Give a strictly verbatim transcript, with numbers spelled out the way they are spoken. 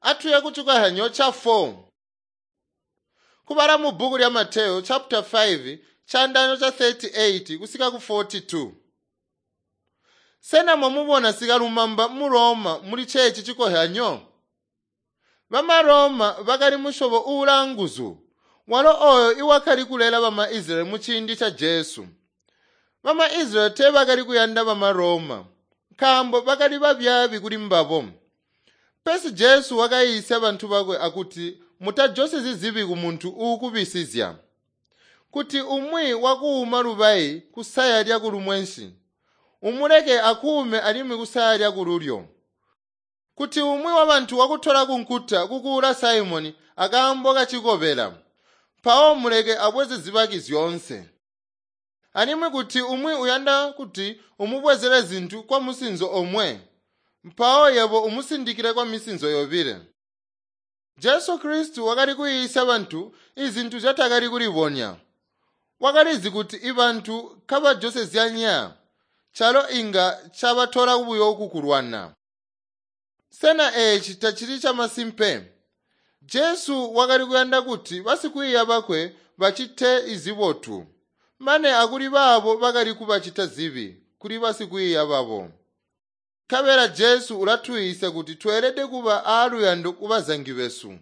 Atuye kucikohyanyo ca four. Kubala mu bbuku lya Mateyo chapter five caandaano ca thirty-eight kusika ku forty-two. Sena mwamubona sikalumamba mu Roma muli ceeci cikohyanyo? Bama Roma bakali musyobo uulanguzu, walo oyo iwakali kulela bama Israyeli mu ciindi ca Jesu. Bama Israyeli teebakali kuyanda bama Roma, nkaambo bakali babyaabi kuli mbabo. Pesi Jesu wakayiisya bantu bakwe akuti mutajosezyi zibi kumuntu uukubisizya. Kuti umwi wakuuma lubayi kusaya lyakulumwensi, umuleke akuume alimwi kusaya lyakululyo. Kuti umwi wabantu wakutola kunkuta kukuula Simoni akaambo kacikobela, mpawo muleke abweze zibaki zyoonse. Alimwi kuti umwi uyanda kuti umubwezele zintu kwa musinzo omwe, mpawo yebo umusindikile kwa misinzo yobile. Jesu Kristu wakali kuyiisya bantu izintu zyatakali kulibonya. Wakalizi kuti ibantu kabajosezyanya, calo inga cabatola buyo kukulwana. Sena eeci tacili camasimpe? Jesu wakali kuyanda kuti basikwiiya bakwe bacite izibotu, mane akuli baabo bakali kubacita zibi kuli basikwiiya babo. Nkabela Jesu ulatuyiisya kuti tweelede kuba aaluyando kubazangi besu.